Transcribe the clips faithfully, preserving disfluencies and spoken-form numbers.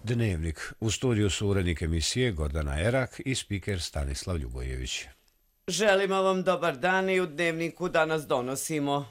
Dnevnik. U studiju su urednik emisije Gordana Erak i spiker Stanislav Ljubojević. Želimo vam dobar dan i u Dnevniku danas donosimo.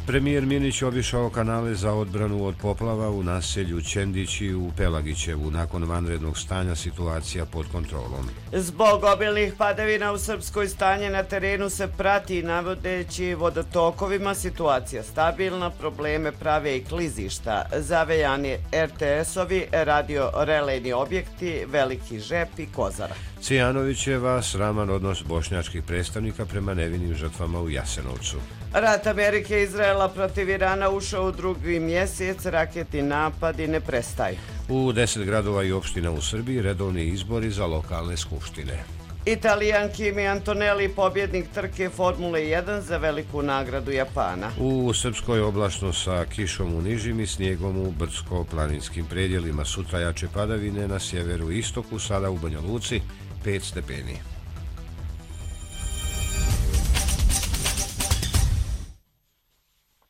Premijer Minić obišao kanale za odbranu od poplava u naselju Čendići u Pelagićevu. Nakon vanrednog stanja situacija pod kontrolom. Zbog obilnih padavina u Srpskoj stanje na terenu se prati, navodeći vodotokovima situacija stabilna, probleme prave i klizišta, zavejani er te esovi, radio-relejni objekti, Veliki Žep i Kozara. Cijanovićeva sraman odnos bošnjačkih predstavnika prema nevinim žrtvama u Jasenovcu. Rat Amerike i Izraela protiv Irana ušao u drugi mjesec, raketni napadi ne prestaju. U deset gradova i opština u Srbiji redovni izbori za lokalne skupštine. Italijan Kimi Antonelli, pobjednik trke Formule jedan za veliku nagradu Japana. U Srpskoj oblačno sa kišom u nižim i snijegom u brdsko-planinskim predjelima. Sutra jače padavine na sjeveru i istoku, sada u Banja Luci pet stepeni.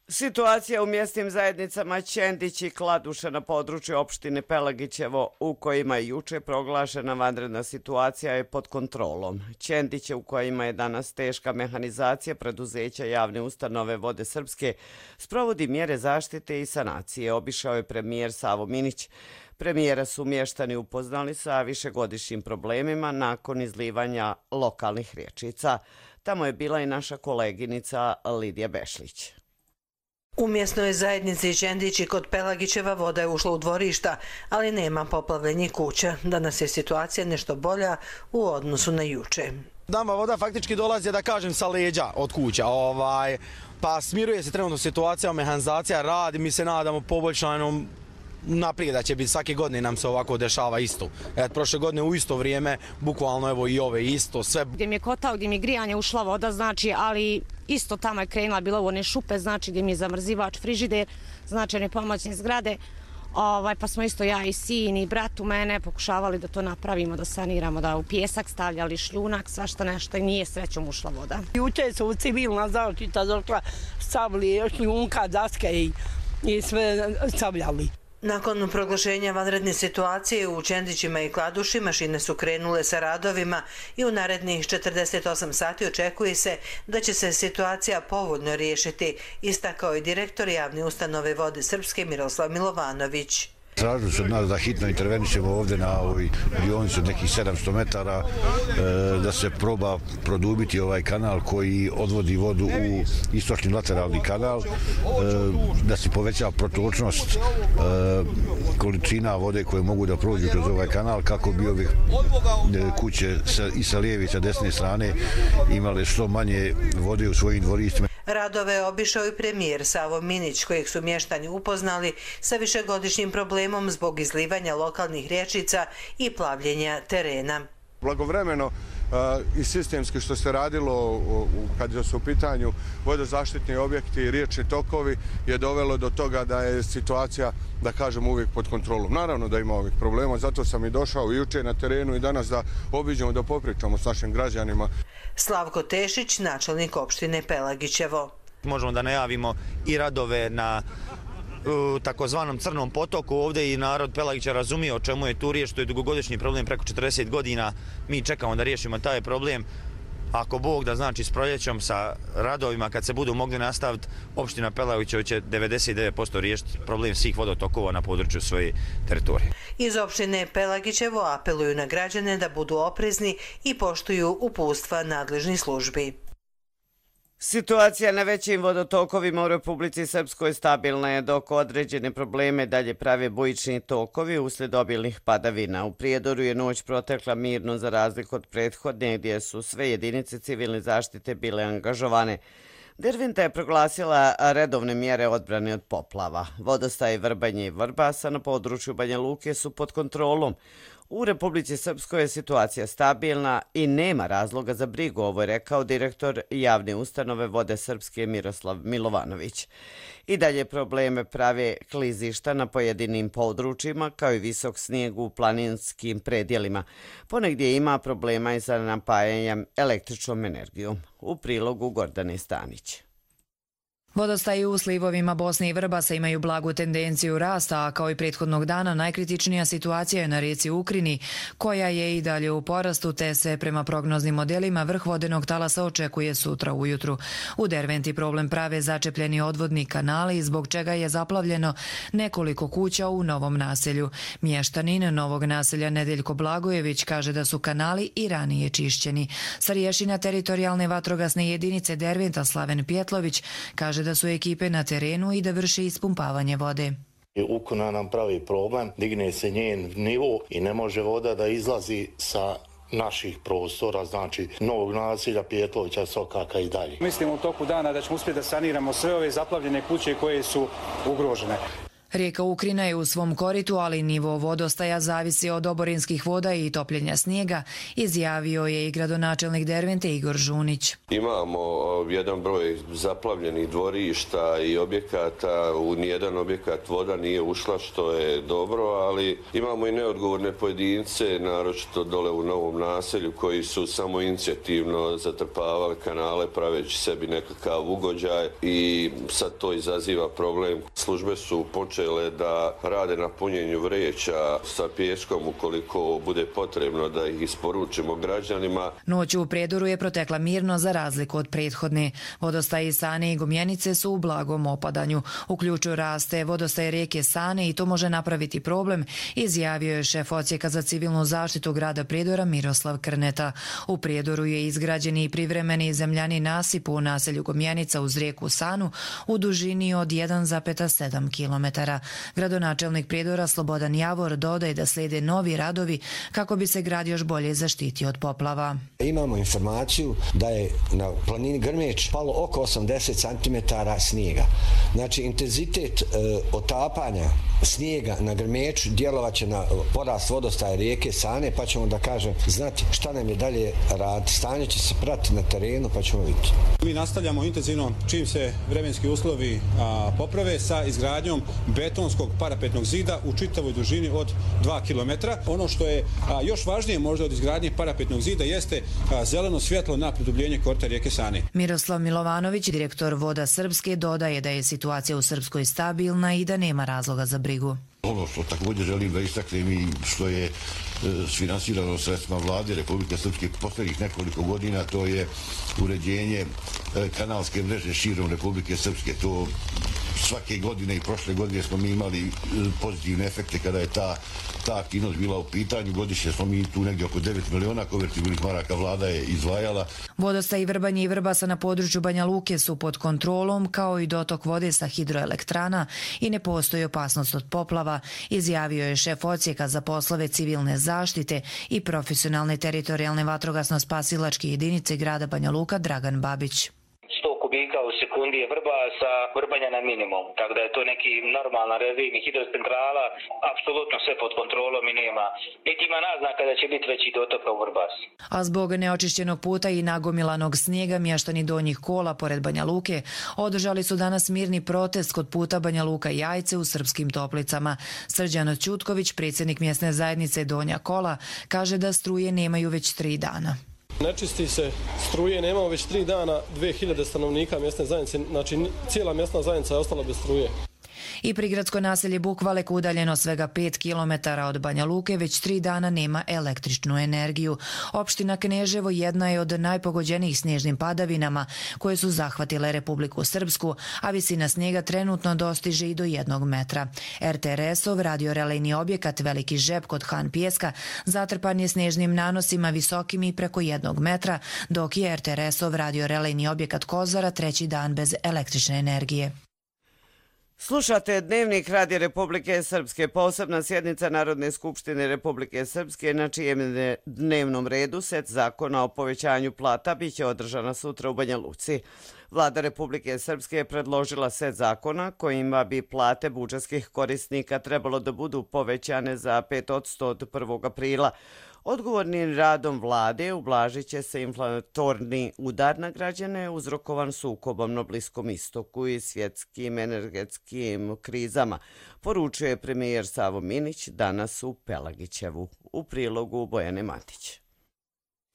Situacija u mjesnim zajednicama Čendić i Kladuša na području opštine Pelagićevo, u kojima je juče proglašena vanredna situacija, je pod kontrolom. Čendiće, u kojima je danas teška mehanizacija preduzeća javne ustanove Vode Srpske, sprovodi mjere zaštite i sanacije. Obišao je premijer Savo Minić. Premijera su mještani upoznali sa višegodišnjim problemima nakon izlivanja lokalnih rječica. Tamo je bila i naša koleginica Lidija Bešlić. U mjesnoj zajednici Čendići kod Pelagićeva voda je ušla u dvorišta, ali nema poplavljenih kuća. Danas je situacija nešto bolja u odnosu na juče. Nama voda faktički dolazi, da kažem, sa leđa od kuća. Ovaj, pa smiruje se trenutno situacija, mehanizacija radi, mi se nadamo poboljšanom naprijed, da će biti svake godine nam se ovako dešava isto. Et, prošle godine u isto vrijeme, bukvalno evo i ove isto, sve. Gdje mi je kotao, gdje mi je grijanje ušla voda, znači, ali isto tamo je krenula, bila u one šupe, znači gdje mi je zamrzivač, frižider, znači one pomoćne zgrade. Ovaj, pa smo isto ja i sin i brat u mene pokušavali da to napravimo, da saniramo, da u pjesak stavljali šljunak, svašta nešto i nije srećom ušla voda. Juče su civilna zaštita došla, stavili šljunka, daske i, i sve stavljali. Nakon proglašenja vanredne situacije u Čendićima i Kladuši mašine su krenule sa radovima i u narednih četrdeset osam sati očekuje se da će se situacija povoljno riješiti, istakao je direktor javne ustanove Vode Srpske Miroslav Milovanović. Tražili su od nas da hitno intervenišemo ovdje na ovoj dionici od nekih sedamsto metara, da se proba produbiti ovaj kanal koji odvodi vodu u istočni lateralni kanal, da se poveća protočnost količina vode koje mogu da prođu kroz ovaj kanal kako bi ove kuće i sa lijeve i sa desne strane imale što manje vode u svojim dvorištima. Radove je obišao i premijer Savo Minić, kojeg su mještani upoznali sa višegodišnjim problemom zbog izlivanja lokalnih rječica i plavljenja terena. Blagovremeno i sistemski što se radilo kad su u pitanju vodozaštitni objekti i riječni tokovi je dovelo do toga da je situacija, da kažem, uvijek pod kontrolom. Naravno da ima ovih problema, zato sam i došao i juče na terenu i danas da obiđemo, da popričamo s našim građanima. Slavko Tešić, načelnik opštine Pelagićevo. Možemo da najavimo i radove na u takozvanom Crnom potoku. Ovdje i narod Pelagića razumije o čemu je tu riječ, to je dugogodišnji problem, preko četrdeset godina. Mi čekamo da riješimo taj problem. Ako Bog da, znači s proljećom sa radovima kad se budu mogli nastaviti, opština Pelagića će devedeset devet posto riješiti problem svih vodotokova na području svoje teritorije. Iz opštine Pelagićevo apeluju na građane da budu oprezni i poštuju uputstva nadležnih službi. Situacija na većim vodotokovima u Republici Srpskoj stabilna je, dok određene probleme dalje prave bujični tokovi uslijed obilnih padavina. U Prijedoru je noć protekla mirno za razliku od prethodne, gdje su sve jedinice civilne zaštite bile angažovane. Derventa je proglasila redovne mjere odbrane od poplava. Vodostaje Vrbanje i Vrbasa na području Banja Luke su pod kontrolom. U Republici Srpskoj je situacija stabilna i nema razloga za brigu, ovo je rekao direktor javne ustanove Vode Srpske Miroslav Milovanović. I dalje probleme prave klizišta na pojedinim područjima, kao i visok snijeg u planinskim predjelima. Ponegdje ima problema i sa napajanjem električnom energijom. U prilogu Gordane Stanić. Vodostaji u slivovima Bosne i Vrbasa imaju blagu tendenciju rasta, a kao i prethodnog dana najkritičnija situacija je na rijeci Ukrini, koja je i dalje u porastu, te se prema prognoznim modelima vrh vodenog talasa očekuje sutra ujutru. U Derventi problem prave začepljeni odvodni kanali, zbog čega je zaplavljeno nekoliko kuća u novom naselju. Mještanin novog naselja Nedeljko Blagojević kaže da su kanali i ranije čišćeni. Starješina teritorijalne vatrogasne jedinice Derventa Slaven Pjetlović kaže da su ekipe na terenu i da vrše ispumpavanje vode. Ukona nam pravi problem, digne se njen nivo i ne može voda da izlazi sa naših prostora, znači novog naselja, Pjetlovića, Sokaka i dalje. Mislimo u toku dana da ćemo uspjeti da saniramo sve ove zaplavljene kuće koje su ugrožene. Rijeka Ukrina je u svom koritu, ali nivo vodostaja zavisi od oborinskih voda i topljenja snijega, izjavio je i gradonačelnik Dervente Igor Žunić. Imamo jedan broj zaplavljenih dvorišta i objekata, u nijedan objekat voda nije ušla, što je dobro, ali imamo i neodgovorne pojedince, naročito dole u novom naselju, koji su samo inicijativno zatrpavali kanale praveći sebi nekakav ugođaj i sad to izaziva problem. Službe su počele da rade na punjenju vreća sa pijeskom ukoliko bude potrebno da ih isporučimo građanima. Noć u Prijedoru je protekla mirno za razliku od prethodne. Vodostaji Sane i Gumjenice su u blagom opadanju. U ključu raste vodostaj rijeke Sane i to može napraviti problem, izjavio je šef odsjeka za civilnu zaštitu grada Prijedora Miroslav Krneta. U Prijedoru je izgrađen i privremeni zemljani nasip u naselju Gumjenica uz rijeku Sanu u dužini od jedan zarez sedam kilometara. Gradonačelnik Prijedora Slobodan Javor dodaje da slijede novi radovi kako bi se grad još bolje zaštitio od poplava. Imamo informaciju da je na planini Grmeć palo oko osamdeset centimetara snijega. Znači, intenzitet e, otapanja snijega na Grmeču djelovaće na porast vodostaja rijeke Sane, pa ćemo da kažem znati šta nam je dalje rad. Stanje će se pratiti na terenu, pa ćemo vidjeti. Mi nastavljamo intenzivno čim se vremenski uslovi a, poprave sa izgradnjom betonskog parapetnog zida u čitavoj dužini od dva kilometra. Ono što je a, još važnije možda od izgradnje parapetnog zida jeste a, zeleno svjetlo na produbljenje korita rijeke Sane. Miroslav Milovanović, direktor Voda Srpske, dodaje da je situacija u Srpskoj stabilna i da nema razloga za brigu. Ono što također želim da istaknem i što je sfinansirano sredstvima vlade Republike Srpske posljednjih nekoliko godina, to je uređenje kanalske mreže širom Republike Srpske. To svake godine i prošle godine smo mi imali pozitivne efekte kada je ta, ta aktivnost bila u pitanju. Godišnje smo mi tu negdje oko devet miliona konvertibilnih maraka vlada je izdvajala. Vodostaji Vrbanje i Vrbasa na području Banja Luke su pod kontrolom, kao i dotok vode sa hidroelektrana i ne postoji opasnost od poplava, izjavio je šef odsjeka za poslove civilne zaštite i profesionalne teritorijalne vatrogasno-spasilačke jedinice grada Banja Luka Dragan Babić. sto kubika u sekundi je Vrbasa, Vrbanja na minimum, tako da je to neki normalna režim hidrocentrala, apsolutno sve pod kontrolom i nema, niti ima naznaka da će biti veći dotok u Vrbas. A zbog neočišćenog puta i nagomilanog snijega mještani Donjih Kola pored Banja Luke održali su danas mirni protest kod puta Banja Luka Jajce u Srpskim Toplicama. Srđan Ćutković, predsjednik mjesne zajednice Donja Kola, kaže da struje nemaju već tri dana. Ne čisti se struje, nemamo već tri dana, dvije hiljade stanovnika mjesne zajednice, znači cijela mjesna zajednica je ostala bez struje. I prigradsko naselje Bukvalek, udaljeno svega pet kilometara od Banja Luke, već tri dana nema električnu energiju. Opština Kneževo jedna je od najpogođenijih snježnim padavinama koje su zahvatile Republiku Srpsku, a visina snijega trenutno dostiže i do jednog metra. er te er es-ov radiorelejni objekat Veliki žep kod Han Pijeska zatrpan je snježnim nanosima visokim i preko jednog metra, dok je er te er es-ov radiorelejni objekat Kozara treći dan bez električne energije. Slušate Dnevnik Radija Republike Srpske. Posebna sjednica Narodne skupštine Republike Srpske, na čijem dnevnom redu set zakona o povećanju plata biće održana sutra u Banja Luci. Vlada Republike Srpske je predložila set zakona kojima bi plate budžetskih korisnika trebalo da budu povećane za pet posto od prvog aprila. Odgovornim radom vlade ublažit će se inflatorni udar na građane uzrokovan sukobom na Bliskom istoku i svjetskim energetskim krizama, poručuje premijer Savo Minić danas u Pelagićevu. U prilogu Bojane Matić.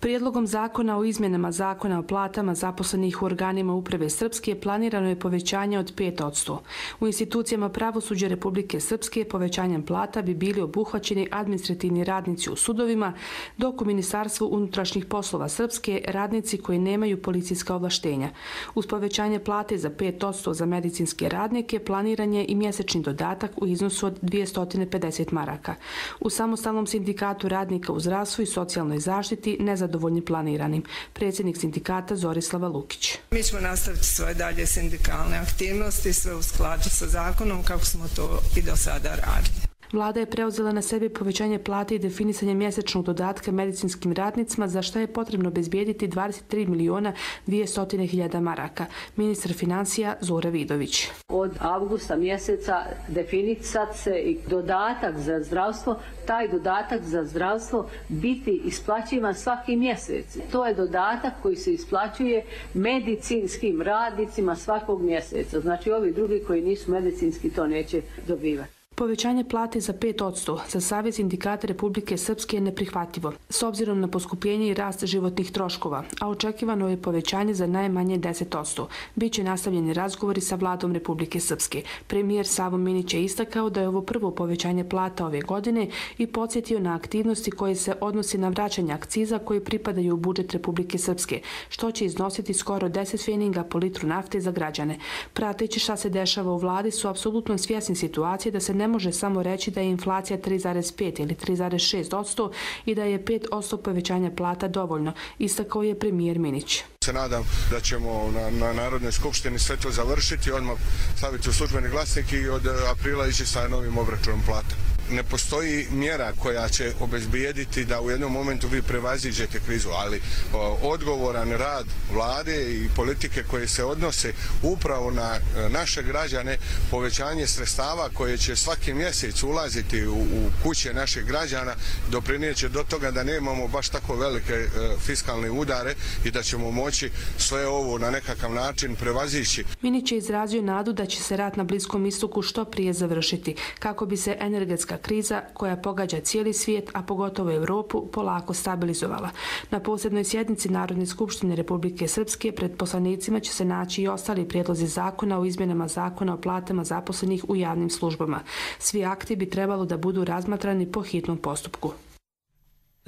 Prijedlogom zakona o izmjenama zakona o platama zaposlenih u organima uprave Srpske planirano je povećanje od pet posto. U institucijama pravosuđa Republike Srpske povećanjem plata bi bili obuhvaćeni administrativni radnici u sudovima, dok u Ministarstvu unutrašnjih poslova Srpske radnici koji nemaju policijska ovlaštenja. Uz povećanje plate za pet posto za medicinske radnike planiran je i mjesečni dodatak u iznosu od dvjesto pedeset maraka. U samostalnom sindikatu radnika u zdravstvu i socijalnoj zaštiti nezadovoljni zadovoljni planiranim. Predsjednik sindikata Zorislava Lukić. Mi ćemo nastaviti svoje dalje sindikalne aktivnosti, sve u skladu sa zakonom kako smo to i do sada radili. Vlada je preuzela na sebe povećanje plate i definisanje mjesečnog dodatka medicinskim radnicima, za što je potrebno obezbijediti dvadeset tri miliona dvjesto hiljada maraka. Ministar financija Zora Vidović. Od avgusta mjeseca definisat se i dodatak za zdravstvo, taj dodatak za zdravstvo biti isplaćivan svaki mjesec. To je dodatak koji se isplaćuje medicinskim radnicima svakog mjeseca. Znači ovi drugi koji nisu medicinski to neće dobivati. Povećanje plate za pet posto za Savez sindikata Republike Srpske je neprihvatljivo, s obzirom na poskupljenje i rast životnih troškova, a očekivano je povećanje za najmanje deset posto. Biće nastavljeni razgovori sa vladom Republike Srpske. Premijer Savo Minić je istakao da je ovo prvo povećanje plata ove godine i podsjetio na aktivnosti koje se odnosi na vraćanje akciza koji pripadaju u budžet Republike Srpske, što će iznositi skoro deset pfeninga po litru nafte za građane. Prateći šta se dešava u vladi su apsolutno svjesni situacije da se ne može samo reći da je inflacija tri zarez pet ili tri zarez šest posto i da je pet posto povećanja plata dovoljno, istakao je premijer Minić. Se nadam da ćemo na, na Narodnoj skupštini sve to završiti, odmah staviti u službeni glasnik i od aprila ići sa novim obračunom plata. Ne postoji mjera koja će obezbijediti da u jednom momentu vi prevaziđete krizu, ali o, odgovoran rad vlade i politike koje se odnose upravo na naše građane, povećanje sredstava koje će svaki mjesec ulaziti u, u kuće naših građana, doprinijeće do toga da nemamo baš tako velike e, fiskalne udare i da ćemo moći sve ovo na nekakav način prevazići. Minić je izrazio nadu da će se rat na Bliskom istoku što prije završiti, kako bi se energetska kriza koja pogađa cijeli svijet, a pogotovo Europu, polako stabilizovala. Na posebnoj sjednici Narodne skupštine Republike Srpske pred poslanicima će se naći i ostali prijedlozi zakona o izmjenama zakona o platama zaposlenih u javnim službama. Svi akti bi trebalo da budu razmatrani po hitnom postupku.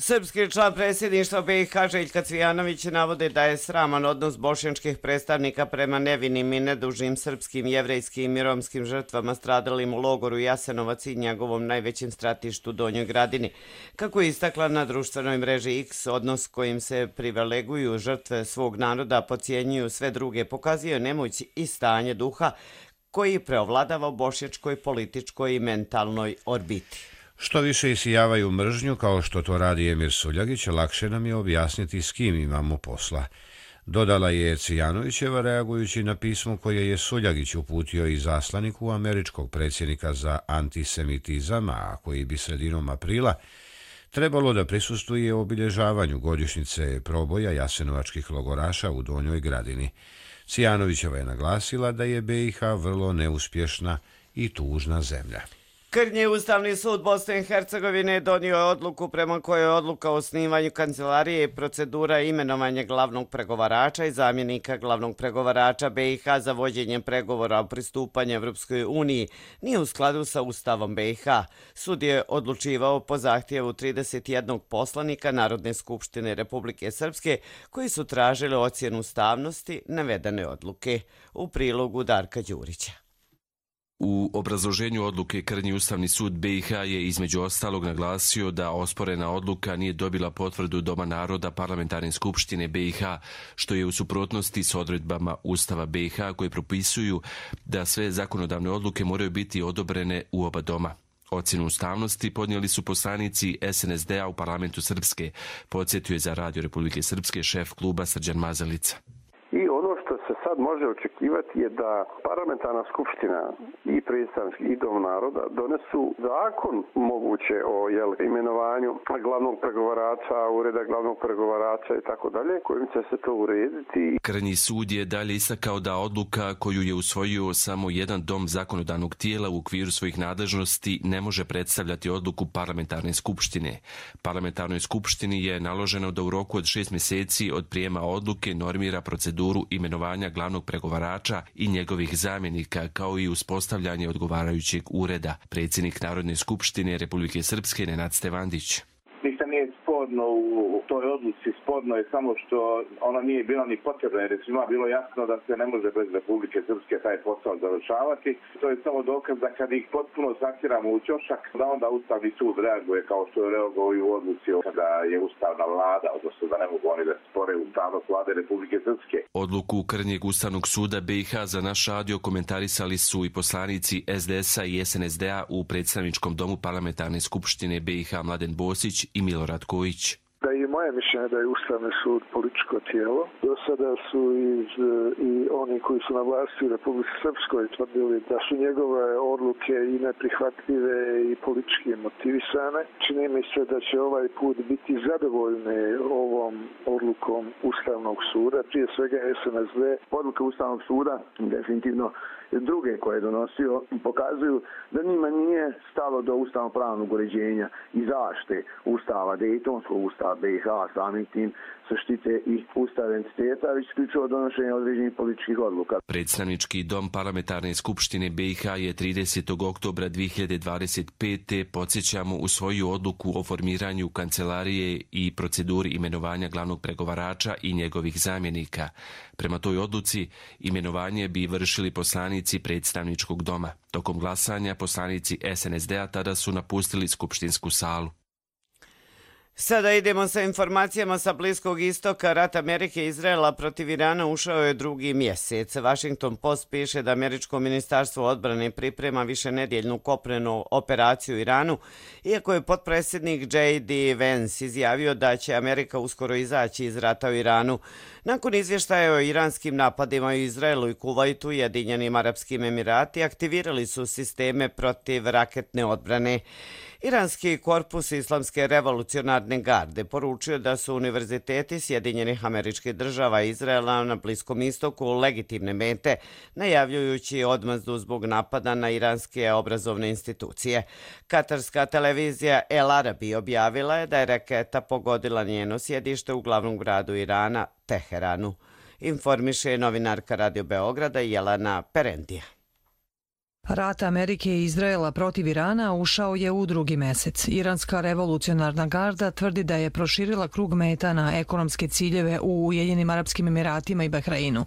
Srpski član predsjedništva B i H Željka Cvijanović navode da je sraman odnos bošnjačkih predstavnika prema nevinim i nedužnim srpskim, jevrejskim i romskim žrtvama stradalim u logoru Jasenovac i njegovom najvećem stratištu Donjoj Gradini. Kako je istakla na društvenoj mreži X, odnos kojim se privileguju žrtve svog naroda, podcjenjuju sve druge, pokazuje nemoć i stanje duha koji preovladava u bošnjačkoj političkoj i mentalnoj orbiti. Što više isijavaju mržnju, kao što to radi Emir Suljagić, lakše nam je objasniti s kim imamo posla. Dodala je Cvijanovićeva reagujući na pismo koje je Suljagić uputio i zaslaniku američkog predsjednika za antisemitizam, a koji bi sredinom aprila trebalo da prisustvuje obilježavanju godišnjice proboja jasenovačkih logoraša u Donjoj Gradini. Cvijanovićeva je naglasila da je B i H vrlo neuspješna i tužna zemlja. Krnji Ustavni sud Bosne i Hercegovine donio je odluku prema kojoj je odluka o osnivanju kancelarije i procedura imenovanja glavnog pregovarača i zamjenika glavnog pregovarača B i H za vođenje pregovora o pristupanju Evropskoj uniji nije u skladu sa Ustavom B i H. Sud je odlučivao po zahtjevu trideset jednog poslanika Narodne skupštine Republike Srpske koji su tražili ocjenu ustavnosti navedene odluke. U prilogu Darka Đurića. U obrazloženju odluke Krnji Ustavni sud B i H je između ostalog naglasio da osporena odluka nije dobila potvrdu Doma naroda Parlamentarne skupštine B i H, što je u suprotnosti s odredbama Ustava B i H koje propisuju da sve zakonodavne odluke moraju biti odobrene u oba doma. Ocjenu ustavnosti podnijeli su poslanici S N S D-a u Parlamentu Srpske, podsjetio je za Radio Republike Srpske šef kluba Srđan Mazalica. I ono što se sad može očekivati je da parlamentarna skupština i predstavnički i dom naroda donesu zakon moguće o jel, imenovanju glavnog pregovarača, ureda glavnog pregovarača i tako dalje, kojim će se to urediti. Krnji sud je dalje istakao da odluka koju je usvojio samo jedan dom zakonodavnog tijela u okviru svojih nadležnosti ne može predstavljati odluku parlamentarne skupštine. Parlamentarnoj skupštini je naloženo da u roku od šest mjeseci od prijema odluke normira proceduru imenovanja glavnog pregovarača i njegovih zamjenika, kao i uspostavljanje odgovarajućeg ureda. Predsjednik Narodne skupštine Republike Srpske Nenad Stevandić. Ništa nije sporno u toj odluci, sporno je samo što ona nije bila ni potrebna, jer je svima bilo jasno da se ne može bez Republike Srpske taj posao završavati. To je samo dokaz da kad ih potpuno sakiramo u ćošak, da onda Ustavni sud reaguje kao što je reagovao i u odluci kada je Ustavna vlada, odnosno da ne mogu oni da spore ustavnost vlade Republike Srpske. Odluku Krnjeg Ustavnog suda B i H za naš radio komentarisali su i poslanici S D S-a i S N S D-a u predstavničkom domu parlamentarne skupštine B i H Mladen Bosić i Milorad Kojić. Da je moje mišljenje da je Ustavni sud političko tijelo. Do sada su iz, i oni koji su na vlasti u Republici Srpskoj tvrdili da su njegove odluke i neprihvatljive i politički motivisane. Čini mi se da će ovaj put biti zadovoljni ovom odlukom Ustavnog suda, prije svega S N S D. Odluka Ustavnog suda definitivno druge koje je donosio pokazuju da njima nije stalo do ustavno-pravnog uređenja i zaštite Ustava, Dejtonskog Ustava B i H, samim tim se štite i Ustav entiteta, već isključivo donošenje određenih političkih odluka. Predstavnički dom parlamentarne skupštine B i H je tridesetog oktobra dvije hiljade dvadeset pete podsjećamo usvojio odluku o formiranju kancelarije i proceduri imenovanja glavnog pregovarača i njegovih zamjenika. Prema toj odluci imenovanje bi vršili poslanici predstavničkog doma. Tokom glasanja poslanici S N S D-a tada su napustili skupštinsku salu. Sada idemo sa informacijama sa Bliskog istoka. Rat Amerike i Izraela protiv Irana ušao je drugi mjesec. Washington Post piše da američko ministarstvo odbrane priprema višenedjeljnu kopnenu operaciju u Iranu, iako je potpredsjednik J D Vance izjavio da će Amerika uskoro izaći iz rata u Iranu. Nakon izvještaja o iranskim napadima u Izraelu i Kuvajtu, Ujedinjenim Arapskim Emirati aktivirali su sisteme protiv raketne odbrane. Iranski korpus Islamske revolucionarne garde poručio da su univerziteti Sjedinjenih Američkih Država i Izraela na Bliskom istoku legitimne mete, najavljujući odmazdu zbog napada na iranske obrazovne institucije. Katarska televizija El Arabi objavila je da je raketa pogodila njeno sjedište u glavnom gradu Irana, Teheranu. Informiše novinarka Radio Beograda Jelena Perendija. Rat Amerike i Izraela protiv Irana ušao je u drugi mesec. Iranska revolucionarna garda tvrdi da je proširila krug meta na ekonomske ciljeve u Ujedinjenim Arapskim Emiratima i Bahreinu.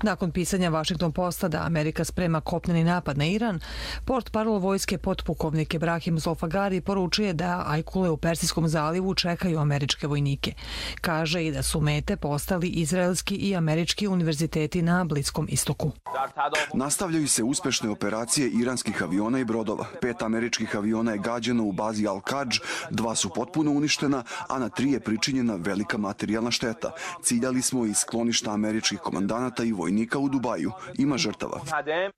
Nakon pisanja Washington Posta da Amerika sprema kopneni napad na Iran, portparol vojske potpukovnik Ebrahim Zolfagari poručuje da ajkule u Persijskom zalivu čekaju američke vojnike. Kaže i da su mete postali izraelski i američki univerziteti na Bliskom istoku. Nastavljaju se uspešne operacije iranskih aviona i brodova. Pet američkih aviona je gađeno u bazi Al-Kadž, dva su potpuno uništena, a na tri je pričinjena velika materijalna šteta. Ciljali smo i skloništa američkih komandanata i vojnika u Dubaju. Ima žrtava.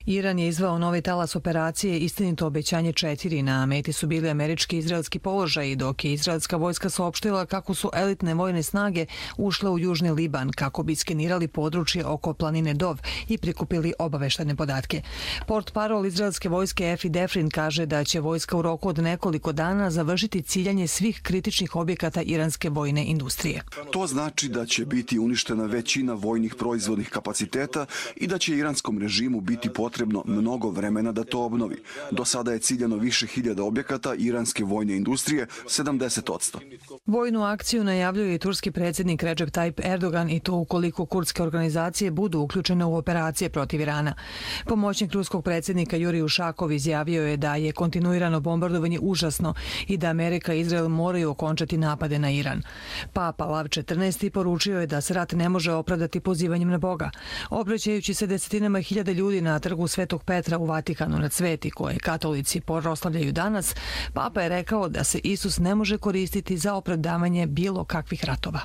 Iran je izvao novi talas operacije Istinito obećanje četiri. Na meti su bili američki i izraelski položaji, dok je izraelska vojska saopštila kako su elitne vojne snage ušle u južni Liban kako bi skenirali područje oko planine Dov i prikupili obaveštene podatke. Portparol izraelske vojske Efi Defrin kaže da će vojska u roku od nekoliko dana završiti ciljanje svih kritičnih objekata iranske vojne industrije. To znači da će biti uništena većina vojnih proizvodnih kapaciteta i da će iranskom režimu biti potrebno mnogo vremena da to obnovi. Do sada je ciljano više hiljada objekata iranske vojne industrije, sedamdeset posto. Vojnu akciju najavljuje i turski predsjednik Recep Tayyip Erdogan, i to ukoliko kurdske organizacije budu uključene u operacije protiv Irana. Pomoćnik ruskog predsjednika Jurij Ušakov izjavio je da je kontinuirano bombardovanje užasno i da Amerika i Izrael moraju okončati napade na Iran. Papa Lav četrnaesti poručio je da se rat ne može opravdati pozivanjem na Boga. Obraćajući se desetinama hiljada ljudi na trgu Svetog Petra u Vatikanu na cveti koje katolici proslavljaju danas, Papa je rekao da se Isus ne može koristiti za opravdavanje bilo kakvih ratova.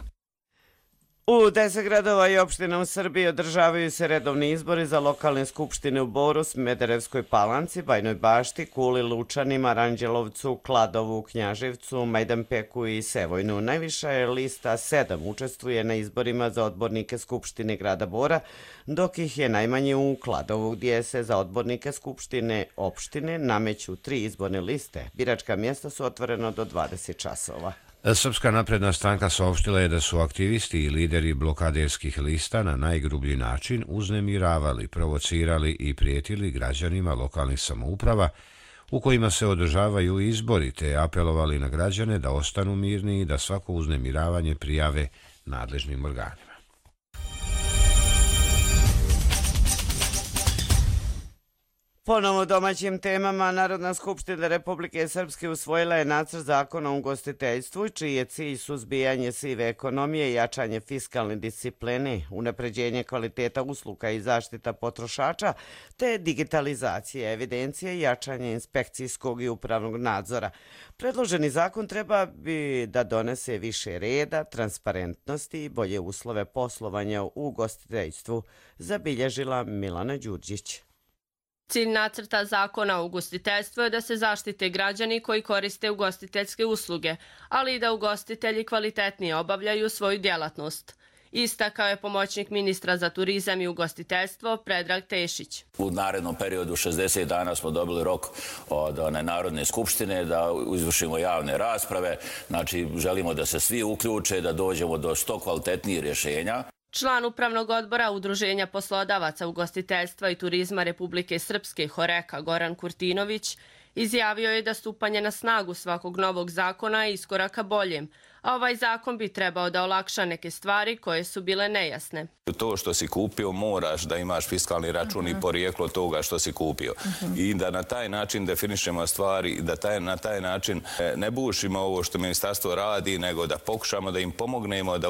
U deset gradova i opština u Srbiji održavaju se redovni izbori za lokalne skupštine u Boru, Smederevskoj Palanci, Bajnoj Bašti, Kuli, Lučanima, Ranđelovcu, Kladovu, Knjaževcu, Majdanpeku i Sevojnu. Najviša je lista sedam učestvuje na izborima za odbornike Skupštine grada Bora, dok ih je najmanje u Kladovu, gdje se za odbornike Skupštine opštine nameću tri izborne liste. Biračka mjesta su otvorena do dvadeset časova. Srpska napredna stranka saopštila je da su aktivisti i lideri blokaderskih lista na najgrublji način uznemiravali, provocirali i prijetili građanima lokalnih samouprava u kojima se održavaju izbori, te apelovali na građane da ostanu mirni i da svako uznemiravanje prijave nadležnim organima. Ponovo domaćim temama, Narodna skupština Republike Srpske usvojila je nacrt zakona o ugostiteljstvu, čiji je cilj suzbijanje sive ekonomije, jačanje fiskalne discipline, unapređenje kvaliteta usluga i zaštita potrošača, te digitalizacija evidencije i jačanje inspekcijskog i upravnog nadzora. Predloženi zakon treba bi da donese više reda, transparentnosti i bolje uslove poslovanja u ugostiteljstvu, zabilježila Milana Đurđić. Cilj nacrta zakona o ugostiteljstvu je da se zaštite građani koji koriste ugostiteljske usluge, ali i da ugostitelji kvalitetnije obavljaju svoju djelatnost. Istakao je pomoćnik ministra za turizam i ugostiteljstvo Predrag Tešić. U narednom periodu šezdeset dana smo dobili rok od one Narodne skupštine da izvršimo javne rasprave. Znači, želimo da se svi uključe, da dođemo do što kvalitetnijih rješenja. Član Upravnog odbora Udruženja poslodavaca ugostiteljstva i turizma Republike Srpske Horeka Goran Kurtinović izjavio je da stupanje na snagu svakog novog zakona je iskoraka boljem, a ovaj zakon bi trebao da olakša neke stvari koje su bile nejasne. To što si kupio moraš da imaš fiskalni račun i porijeklo toga što si kupio. I da na taj način definišemo stvari i da na taj način ne bušimo ovo što ministarstvo radi, nego da pokušamo da im pomognemo da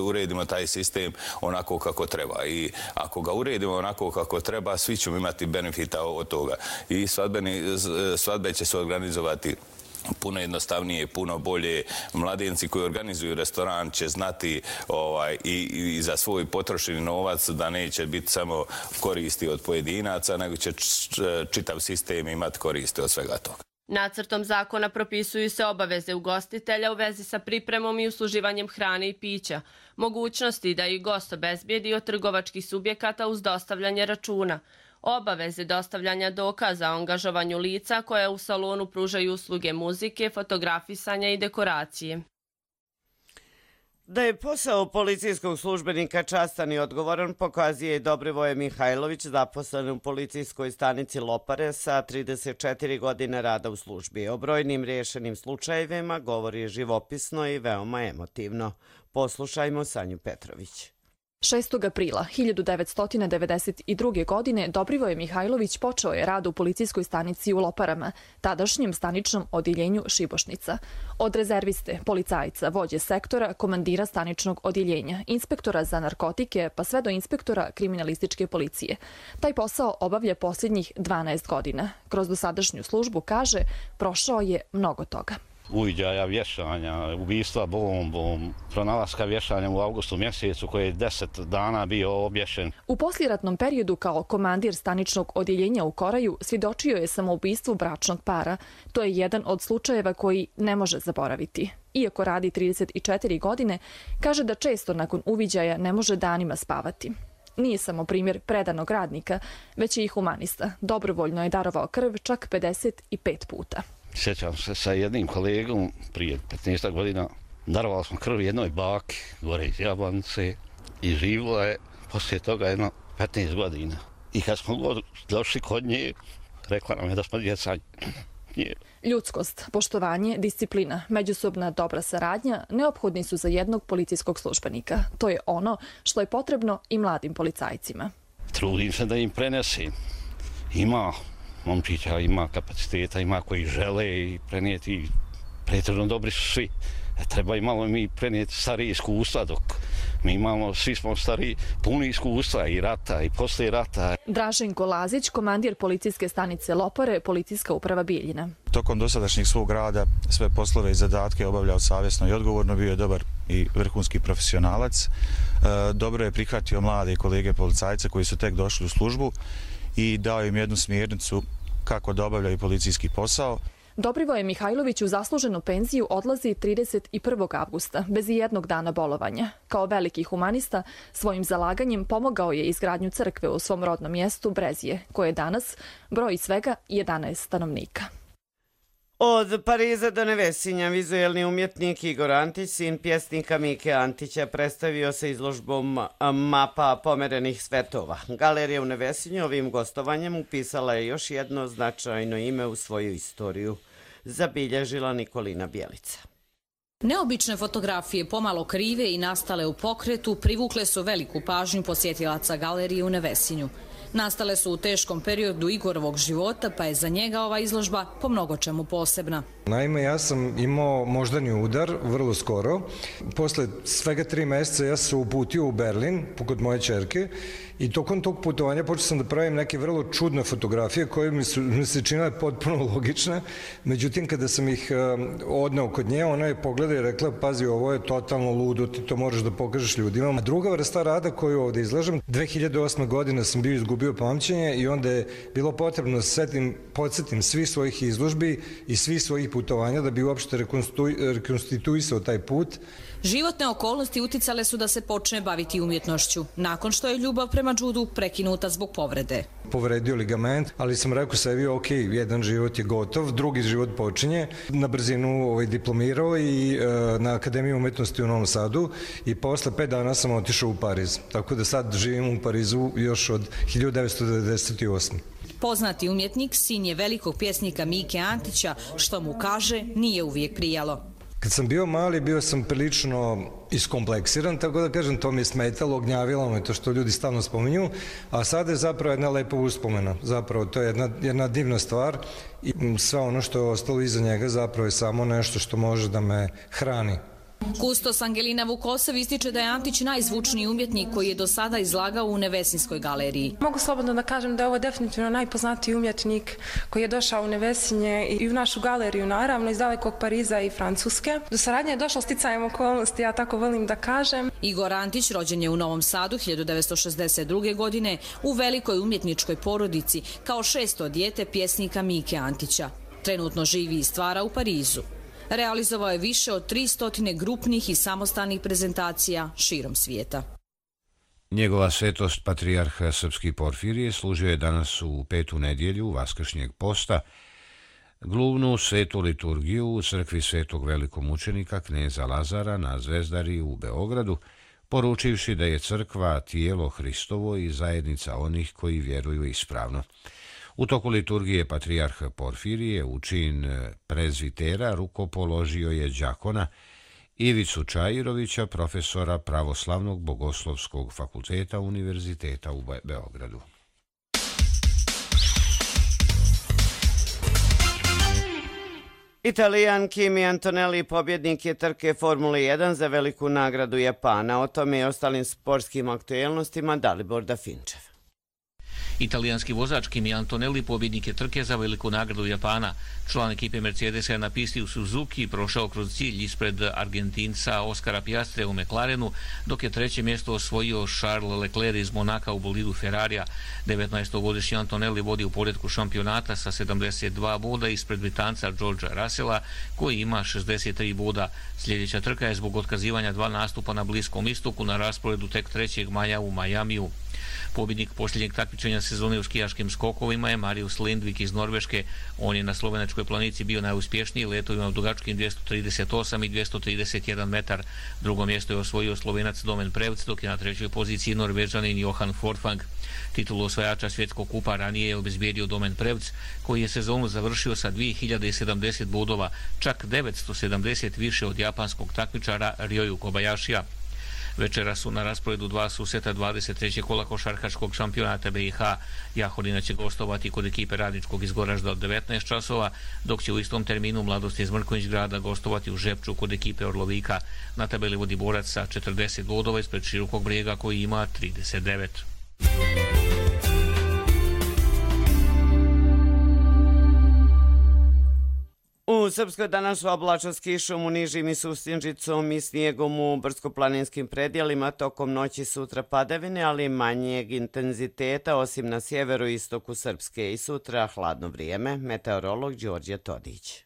uredimo taj sistem onako kako treba. I ako ga uredimo onako kako treba, svi ćemo imati benefita od toga. I svadbe će se organizovati puno jednostavnije, puno bolje. Mladenci koji organizuju restoran će znati ovaj, i, i za svoj potrošeni novac da neće biti samo koristi od pojedinaca, nego će čitav sistem imati koristi od svega toga. Nacrtom zakona propisuju se obaveze ugostitelja u vezi sa pripremom i usluživanjem hrane i pića, mogućnosti da i gost obezbijedi od trgovačkih subjekata uz dostavljanje računa, obaveze dostavljanja dokaza o angažovanju lica koja u salonu pružaju usluge muzike, fotografisanja i dekoracije. Da je posao policijskog službenika častan i odgovoran pokazuje i Dobrivoje Mihajlović, zaposlen u policijskoj stanici Lopare sa trideset četiri godine rada u službi. O brojnim rješenim slučajevima govori živopisno i veoma emotivno. Poslušajmo Sanju Petrović. šestog aprila hiljadu devetsto devedeset druge. godine Dobrivoje Mihajlović počeo je rad u policijskoj stanici u Loparama, tadašnjem staničnom odjeljenju Šibošnica. Od rezerviste, policajca, vođe sektora, komandira staničnog odjeljenja, inspektora za narkotike, pa sve do inspektora kriminalističke policije. Taj posao obavlja posljednjih dvanaest godina. Kroz dosadašnju službu, kaže, prošao je mnogo toga. Uviđaja, vješanja, ubistva bombom, pronalaska vješanja u avgustu mjesecu koji je deset dana bio obješen. U posljeratnom periodu kao komandir staničnog odjeljenja u Koraju svjedočio je samoubistvu bračnog para. To je jedan od slučajeva koji ne može zaboraviti. Iako radi trideset četiri godine, kaže da često nakon uviđaja ne može danima spavati. Nije samo primjer predanog radnika, već i humanista. Dobrovoljno je darovao krv čak pedeset pet puta. Sjećam se sa jednim kolegom prije petnaest godina. Darovali smo krv jednoj baki gore iz Jablanice i živjela je poslije toga jedno petnaest godina. I kad smo došli kod nje, rekla nam je da smo djeca. Ljudskost, poštovanje, disciplina, međusobna dobra saradnja neophodni su za jednog policijskog službenika. To je ono što je potrebno i mladim policajcima. Trudim se da im prenesem. Ima momčića, ima kapaciteta, ima koji žele i prenijeti. Pretredno dobri su svi. Treba i malo mi prenijeti starije iskustva dok Mi imamo, svi smo stari, puni iskustva i rata i poslije rata. Draženko Lazić, komandir policijske stanice Lopare, policijska uprava Bijeljina. Tokom dosadašnjeg svog rada sve poslove i zadatke obavljao savjesno i odgovorno, bio je dobar i vrhunski profesionalac. Dobro je prihvatio mlade kolege policajce koji su tek došli u službu i dao im jednu smjernicu kako da obavljaju policijski posao. Dobrivoje Mihajlović u zasluženu penziju odlazi trideset prvog avgusta, bez jednog dana bolovanja. Kao veliki humanista, svojim zalaganjem pomogao je izgradnju crkve u svom rodnom mjestu Brezije, koje danas broji svega jedanaest stanovnika. Od Pariza do Nevesinja vizuelni umjetnik Igor Antić, sin pjesnika Mike Antića, predstavio se izložbom mapa pomerenih svetova. Galerija u Nevesinju ovim gostovanjem upisala je još jedno značajno ime u svoju istoriju, zabilježila Nikolina Bjelica. Neobične fotografije, pomalo krive i nastale u pokretu, privukle su veliku pažnju posjetilaca galerije u Nevesinju. Nastale su u teškom periodu Igorovog života, pa je za njega ova izložba po mnogo čemu posebna. Naime, ja sam imao moždani udar vrlo skoro. Posle svega tri mjeseca ja sam se uputio u Berlin kod moje ćerke i tokom tog putovanja počeo sam da pravim neke vrlo čudne fotografije koje mi, su, mi se činile potpuno logične. Međutim, kada sam ih odneo kod nje, ona je pogledala i rekla, pazi, ovo je totalno ludo, ti to moraš da pokažeš ljudima. A druga vrsta rada koju ovdje izlažem, dve hiljade osme. godine sam bio izgubio pamćenje i onda je bilo potrebno da setim, podsjetim svih svojih izložbi i svih svojih putovanja da bi uopšte rekonstituisao taj put. Životne okolnosti uticale su da se počne baviti umjetnošću, nakon što je ljubav prema džudu prekinuta zbog povrede. Povredio ligament, ali sam rekao sebi, ok, jedan život je gotov, drugi život počinje. Na brzinu ovaj, diplomirao i e, na Akademiji umjetnosti u Novom Sadu i posle pet dana sam otišao u Pariz. Tako da sad živim u Parizu još od hiljadu devetsto devedeset osme. Poznati umjetnik, sin je velikog pjesnika Mike Antića, što mu kaže nije uvijek prijalo. Kad sam bio mali, bio sam prilično iskompleksiran, tako da kažem, to mi je smetalo, gnjavilo me to što ljudi stalno spominju, a sada je zapravo jedna lepa uspomena. Zapravo, to je jedna, jedna divna stvar i sve ono što je ostalo iza njega zapravo je samo nešto što može da me hrani. Kustos Angelina Vukosev ističe da je Antić najzvučniji umjetnik koji je do sada izlagao u Nevesinskoj galeriji. Mogu slobodno da kažem da je ovo definitivno najpoznatiji umjetnik koji je došao u Nevesinje i u našu galeriju, naravno, iz dalekog Pariza i Francuske. Do saradnje je došlo sticajem okolnosti, ja tako volim da kažem. Igor Antić rođen je u Novom Sadu hiljadu devetsto šezdeset druge. godine u velikoj umjetničkoj porodici kao šesto dijete pjesnika Mike Antića. Trenutno živi i stvara u Parizu. Realizovao je više od tristo grupnih i samostalnih prezentacija širom svijeta. Njegova svetost patrijarh srpski Porfirije služio je danas u petu nedjelju vaskršnjeg posta glavnu svetu liturgiju u crkvi svetog velikomučenika kneza Lazara na Zvezdari u Beogradu, poručivši da je crkva tijelo Hristovo i zajednica onih koji vjeruju ispravno. U toku liturgije patrijarh Porfirije u čin prezvitera rukopoložio je đakona Ivicu Čajirovića, profesora Pravoslavnog bogoslovskog fakulteta Univerziteta u Beogradu. Italijan Kimi Antonelli pobjednik je trke Formule jedan za veliku nagradu Japana. O tome i ostalim sportskim aktuelnostima Dalibor Dafinčev. Italijanski vozač Kimi Antonelli pobjednik je trke za veliku nagradu Japana. Član ekipe Mercedesa je na pisti u Suzuki prošao kroz cilj ispred Argentinca Oskara Piastre u McLarenu, dok je treće mjesto osvojio Charles Leclerc iz Monaka u bolidu Ferrarija. devetnaestogodišnji Antonelli vodi u poretku šampionata sa sedamdeset dva boda ispred Britanca Georgea Russella koji ima šezdeset tri boda. Sljedeća trka je zbog otkazivanja dva nastupa na Bliskom istoku na rasporedu tek trećeg maja u Majamiju. Pobjednik posljednjeg takmičenja sezone u skijaškim skokovima je Marius Lindvik iz Norveške. On je na slovenačkoj planici bio najuspješniji letovima u dugačkim dvjesto trideset osam i dvjesto trideset jedan metar. Drugo mjesto je osvojio Slovenac Domen Prevc, dok je na trećoj poziciji Norvežanin Johan Forfang. Titulu osvajača svjetskog kupa ranije je obezbijedio Domen Prevc, koji je sezonu završio sa dvije hiljade sedamdeset bodova, čak devetsto sedamdeset više od japanskog takmičara Ryoyu Kobayashija. Večera su na rasporedu dva susreta dvadeset trećeg kola košarkaškog šampionata B i H. Jahodina će gostovati kod ekipe Radničkog iz Goražda od devetnaest časova, dok će u istom terminu Mladost iz Mrkonjić grada gostovati u Žepču kod ekipe Orlovika. Na tabeli vodi Borac sa četrdeset bodova ispred Širokog Brijega koji ima trideset devet. U Srpskoj danas oblačno s kišom u nižim i sustinžicom i snijegom u brdsko-planinskim predjelima, tokom noći sutra padavine, ali manjeg intenziteta, osim na sjeveru i istoku Srpske, i sutra hladno vrijeme. Meteorolog Đorđe Todić.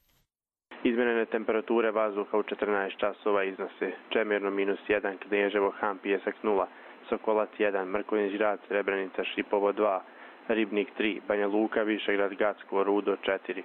Izmjerene temperature vazduha u četrnaest časova iznose Čemirno minus jedan, Kneževo, Han, Pijesak nula, Sokolac jedan, Mrkonjić grad, Srebrenica, Šipovo dva, Ribnik tri, Banja Luka, Višegrad, Gacko, Rudo četiri,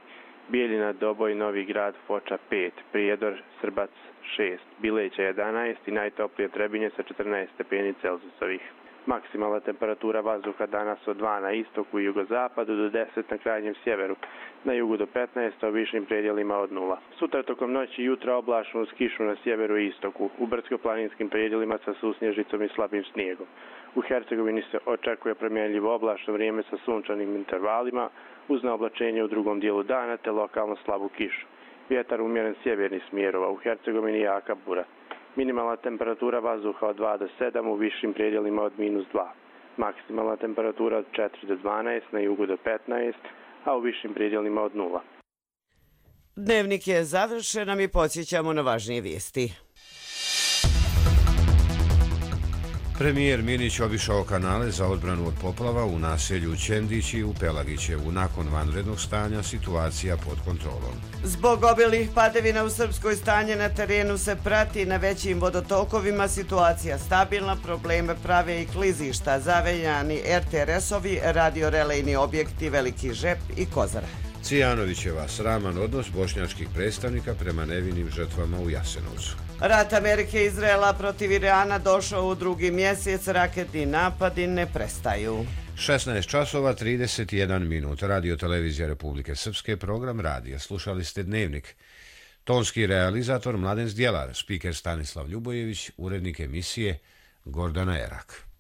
Bijeljina, Doboj, Novi grad, Foča pet, Prijedor, Srbac šest, Bileća jedanaest i najtoplije Trebinje sa četrnaest stepeni Celzijusovih. Maksimalna temperatura vazduha danas od dva na istoku i jugozapadu do deset na krajnjem sjeveru, na jugu do petnaest, a u višim predjelima od nula. Sutra tokom noći i jutra oblačno uz kišu na sjeveru i istoku, u brdsko-planinskim predjelima sa susnježicom i slabim snijegom. U Hercegovini se očekuje promjenljivo oblačno vrijeme sa sunčanim intervalima, uz naoblačenje u drugom dijelu dana te lokalno slabu kišu. Vjetar umjeren sjevernih smjerova, u Hercegovini jaka bura. Minimalna temperatura vazduha od dva do sedam, u višim predjelima od minus dva. Maksimalna temperatura od četiri do dvanaest, na jugu do petnaest, a u višim predjelima od nula. Dnevnik je završen, a mi podsjećamo na važnije vijesti. Premijer Minić obišao kanale za odbranu od poplava u naselju Čendić i u Pelagićevu. Nakon vanrednog stanja situacija pod kontrolom. Zbog obilnih padavina u Srpskoj stanje na terenu se prati, na većim vodotokovima situacija stabilna, probleme prave i klizišta, zaveljani er te er esovi, radiorelejni objekti Veliki Žep i Kozara. Cijanovićeva sraman odnos bošnjačkih predstavnika prema nevinim žrtvama u Jasenovcu. Rat Amerike i Izraela protiv Irana došao u drugi mjesec, raketni napadi ne prestaju. šesnaest časova trideset jedan minut. Radio Televizija Republike Srpske, program radija. Slušali ste Dnevnik. Tonski realizator Mladen Zdjelar, spiker Stanislav Ljubojević, urednik emisije Gordana Erak.